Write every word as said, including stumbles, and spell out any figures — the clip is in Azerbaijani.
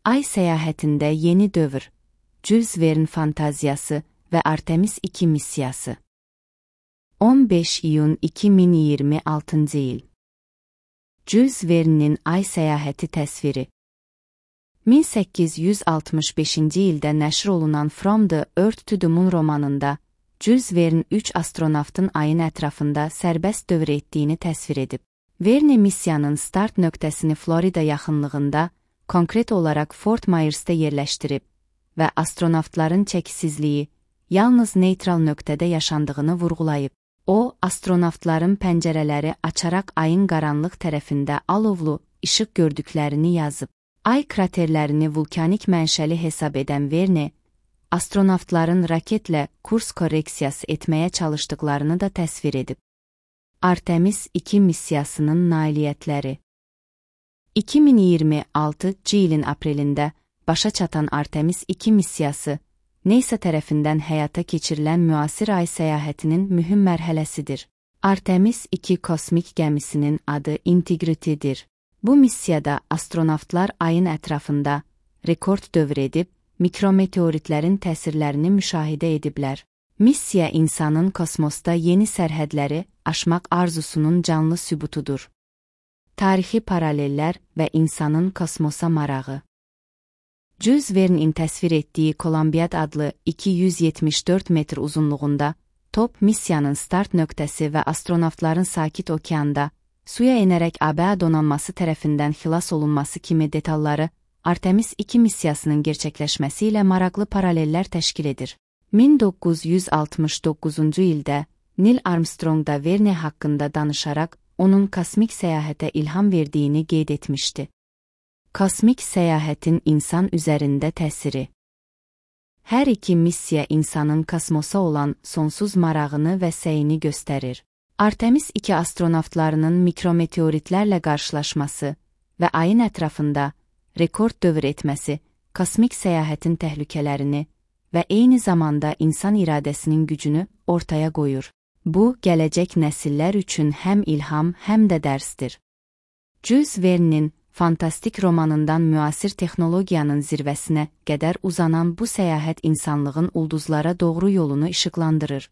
Ay səyahətində yeni dövr, Jules Verne fantaziyası və Artemis iki missiyası. on beş iyun iki min iyirmi altıncı il. Jules Verne'nin Ay səyahəti təsviri. min səkkiz yüz altmış beşinci ildə nəşr olunan From the Earth to the Moon romanında Jules Verne üç astronavtın ayın ətrafında sərbəst dövr etdiyini təsvir edib. Verne missiyanın start nöqtəsini Florida yaxınlığında, konkret olaraq Fort Myers'də yerləşdirib və astronavtların çəkisizliyi yalnız neytral nöqtədə yaşandığını vurğulayıb. O, astronavtların pəncərələri açaraq ayın qaranlıq tərəfində alovlu işıq gördüklərini yazıb. Ay kraterlərini vulkanik mənşəli hesab edən Verne, astronavtların raketlə kurs korreksiyası etməyə çalışdıqlarını da təsvir edib. Artemis iki missiyasının nailiyyətləri. iki min iyirmi altıncı ilin aprelində başa çatan Artemis iki missiyası, NASA tərəfindən həyata keçirilən müasir ay səyahətinin mühüm mərhələsidir. Artemis iki kosmik gəmisinin adı Integrity'dir. Bu missiyada astronavtlar ayın ətrafında rekord dövr edib, mikrometeoritlərin təsirlərini müşahidə ediblər. Missiya insanın kosmosda yeni sərhədləri aşmaq arzusunun canlı sübutudur. Tarixi paralellər və insanın kosmosa marağı. Jules Verne'in təsvir etdiyi Kolumbiad adlı iki yüz yetmiş dörd metr uzunluğunda top missiyanın start nöqtəsi və astronavtların sakit okeanda suya enərək A B A donanması tərəfindən xilas olunması kimi detalları Artemis iki missiyasının gerçəkləşməsi ilə maraqlı paralellər təşkil edir. min doqquz yüz altmış doqquzuncu ildə Neil Armstrong da Verne haqqında danışaraq onun kosmik səyahətə ilham verdiyini qeyd etmişdi. Kosmik səyahətin insan üzərində təsiri. Hər iki missiya insanın kosmosa olan sonsuz marağını və səyini göstərir. Artemis iki astronavtlarının mikrometeoritlərlə qarşılaşması və ayın ətrafında rekord dövr etməsi kosmik səyahətin təhlükələrini və eyni zamanda insan iradəsinin gücünü ortaya qoyur. Bu, gələcək nəsillər üçün həm ilham, həm də dərsdir. Jules Verne'nin fantastik romanından müasir texnologiyanın zirvəsinə qədər uzanan bu səyahət insanlığın ulduzlara doğru yolunu işıqlandırır.